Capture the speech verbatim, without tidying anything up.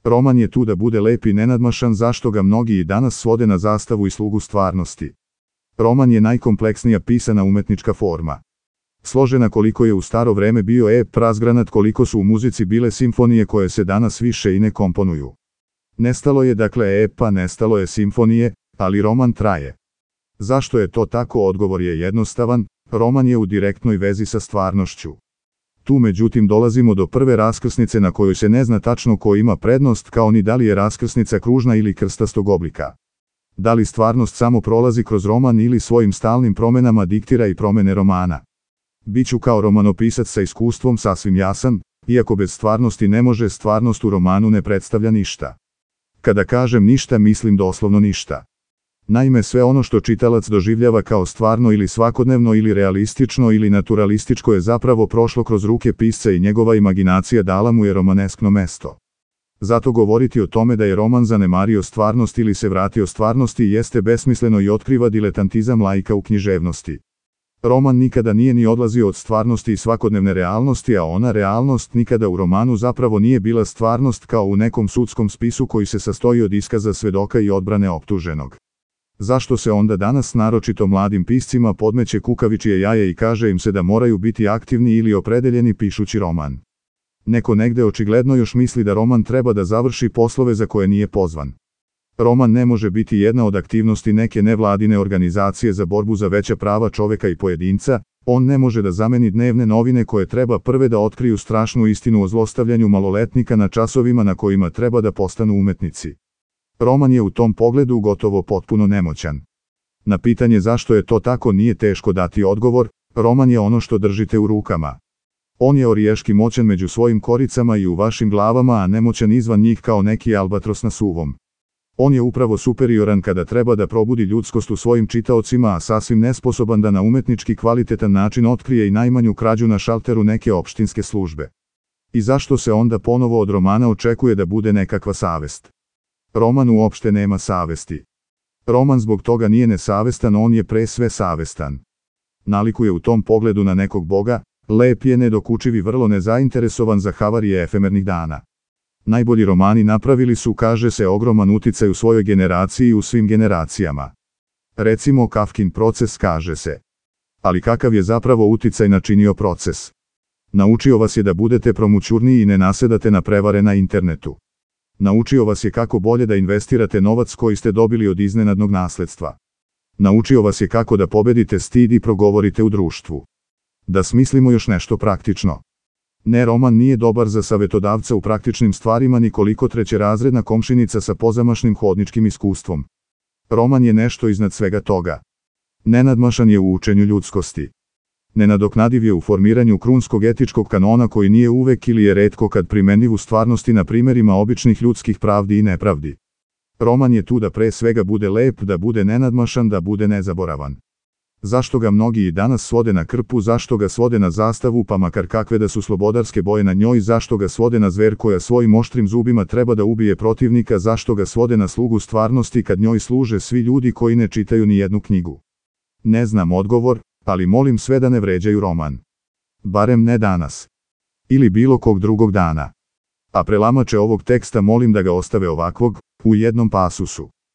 Roman je tu da bude lep i nenadmašan, zašto ga mnogi i danas svode na zastavu i slugu stvarnosti. Roman je najkompleksnija pisana umetnička forma. Složena koliko je u staro vreme bio ep, razgranat koliko su u muzici bile simfonije koje se danas više i ne komponuju. Nestalo je dakle epa, nestalo je simfonije, ali roman traje. Zašto je to tako? Odgovor je jednostavan, roman je u direktnoj vezi sa stvarnošću. Tu međutim dolazimo do prve raskrsnice na kojoj se ne zna tačno ko ima prednost, kao ni da li je raskrsnica kružna ili krstastog oblika. Da li stvarnost samo prolazi kroz roman ili svojim stalnim promenama diktira i promene romana. Biću kao romanopisac sa iskustvom sasvim jasan, iako bez stvarnosti ne može, stvarnost u romanu ne predstavlja ništa. Kada kažem ništa, mislim doslovno ništa. Naime, sve ono što čitalac doživljava kao stvarno ili svakodnevno ili realistično ili naturalističko je zapravo prošlo kroz ruke pisca i njegova imaginacija dala mu je romaneskno mesto. Zato govoriti o tome da je roman zanemario stvarnost ili se vratio stvarnosti jeste besmisleno i otkriva diletantizam laika u književnosti. Roman nikada nije ni odlazio od stvarnosti i svakodnevne realnosti, a ona realnost nikada u romanu zapravo nije bila stvarnost, kao u nekom sudskom spisu koji se sastoji od iskaza svedoka i odbrane optuženog. Zašto se onda danas naročito mladim piscima podmeće kukavičije jaje i kaže im se da moraju biti aktivni ili opredeljeni pišući roman? Neko negde očigledno još misli da roman treba da završi poslove za koje nije pozvan. Roman ne može biti jedna od aktivnosti neke nevladine organizacije za borbu za veća prava čoveka i pojedinca, on ne može da zameni dnevne novine koje treba prve da otkriju strašnu istinu o zlostavljanju maloletnika na časovima na kojima treba da postanu umetnici. Roman je u tom pogledu gotovo potpuno nemoćan. Na pitanje zašto je to tako nije teško dati odgovor, roman je ono što držite u rukama. On je oriješki moćan među svojim koricama i u vašim glavama, a nemoćan izvan njih kao neki albatros na suvom. On je upravo superioran kada treba da probudi ljudskost u svojim čitaocima, a sasvim nesposoban da na umetnički kvalitetan način otkrije i najmanju krađu na šalteru neke opštinske službe. I zašto se onda ponovo od romana očekuje da bude nekakva savest? Roman uopšte nema savesti. Roman zbog toga nije nesavestan, on je pre sve savestan. Nalikuje u tom pogledu na nekog boga, lep je, nedokučiv i vrlo nezainteresovan za havarije efemernih dana. Najbolji romani napravili su, kaže se, ogroman uticaj u svojoj generaciji i u svim generacijama. Recimo Kafkin proces, kaže se. Ali kakav je zapravo uticaj načinio proces? Naučio vas je da budete promućurniji i ne nasedate na prevare na internetu. Naučio vas je kako bolje da investirate novac koji ste dobili od iznenadnog nasledstva. Naučio vas je kako da pobedite stid i progovorite u društvu. Da smislimo još nešto praktično. Ne, roman nije dobar za savetodavca u praktičnim stvarima ni koliko trećerazredna komšinica sa pozamašnim hodničkim iskustvom. Roman je nešto iznad svega toga. Nenadmašan je u učenju ljudskosti. Nenadoknadiv je u formiranju krunskog etičkog kanona koji nije uvek ili je retko kad primenljiv u stvarnosti na primerima običnih ljudskih pravdi i nepravdi. Roman je tu da pre svega bude lep, da bude nenadmašan, da bude nezaboravan. Zašto ga mnogi i danas svode na krpu, zašto ga svode na zastavu, pa makar kakve da su slobodarske boje na njoj, zašto ga svode na zver koja svojim oštrim zubima treba da ubije protivnika, zašto ga svode na slugu stvarnosti kad njoj služe svi ljudi koji ne čitaju ni jednu knjigu? Ne znam odgovor, ali molim sve da ne vređaju roman. Barem ne danas. Ili bilo kog drugog dana. A prelamače ovog teksta molim da ga ostave ovakvog, u jednom pasusu.